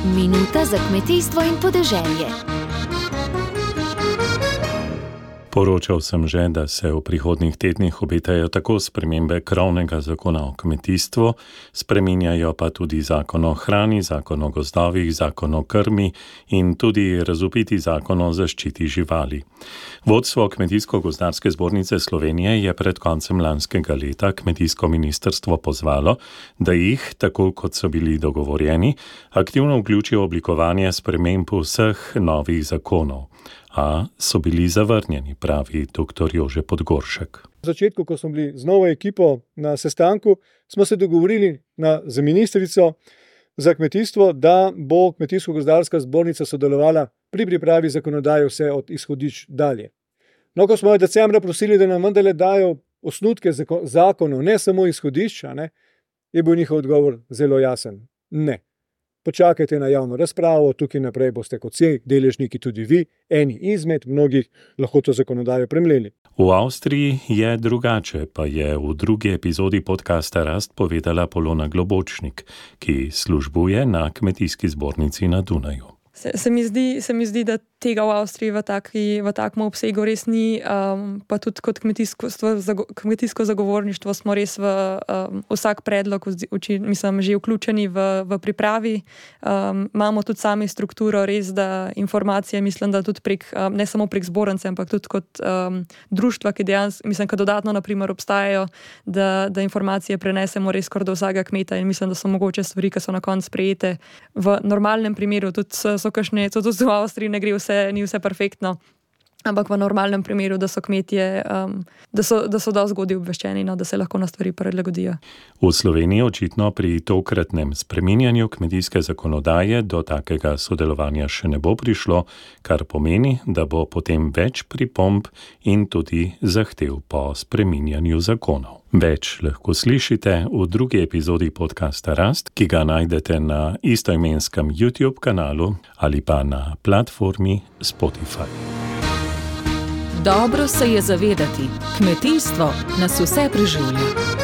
Minuta za kmetijstvo in podeželje. Poročal sem že, da se v prihodnjih tednih obetajo tako spremembe krovnega zakona o kmetijstvu, spreminjajo pa tudi zakon o hrani, zakon o gozdovih, zakon o krmi in tudi razvpiti zakon o zaščiti živali. Vodstvo Kmetijsko-gozdarske zbornice Slovenije je pred koncem lanskega leta kmetijsko ministrstvo pozvalo, da jih, tako kot so bili dogovorjeni, aktivno vključijo v oblikovanje sprememb vseh novih zakonov. A so bili zavrnjeni, pravi dr. Jože Podgoršek. V začetku, ko smo bili z novo ekipo na sestanku, smo se dogovorili z ministrico za kmetijstvo, da bo Kmetijsko-gozdarska zbornica sodelovala pri pripravi zakonodaje vse od izhodišč dalje. No, ko smo jo decembra prosili, da nam vendarle dajo osnutke zakonov, ne samo izhodišča, je bil njihov odgovor zelo jasen. Ne. Počakajte na javno razpravo, tukaj naprej boste kot vsi deležniki tudi vi, eni izmed mnogih, lahko to zakonodajo premleli. V Avstriji je drugače, pa je v drugi epizodi podcasta Rast povedala Polona Globočnik, ki službuje na kmetijski zbornici na Dunaju. Se mi zdi, da tega v Avstriji v takem obsegu res ni, pa tudi kot kmetijsko zagovorništvo smo res v vsak predlog že vključeni v pripravi. Imamo tudi sami strukturo res, da informacije, mislim, da tudi ne samo prek zbornice, ampak tudi kot društva, ki dejansko, dodatno naprimer obstajajo, da informacije prenesemo res kar do vsakega kmeta in mislim, da so mogoče stvari, ki so na koncu sprejete v normalnem primeru, tudi so kakšne, tudi v Avstriji ne gre ni vse perfektno, ampak v normalnem primeru, da so kmetje, da so dosti zgodaj obveščeni, da se lahko na stvari prilagodijo. V Sloveniji očitno pri tokratnem spreminjanju kmetijske zakonodaje do takega sodelovanja še ne bo prišlo, kar pomeni, da bo potem več pripomb in tudi zahtev po spreminjanju zakonov. Več lahko slišite v drugi epizodi podcasta Rast, ki ga najdete na istoimenskem YouTube kanalu ali pa na platformi Spotify. Dobro se je zavedati, kmetijstvo nas vse preživlja.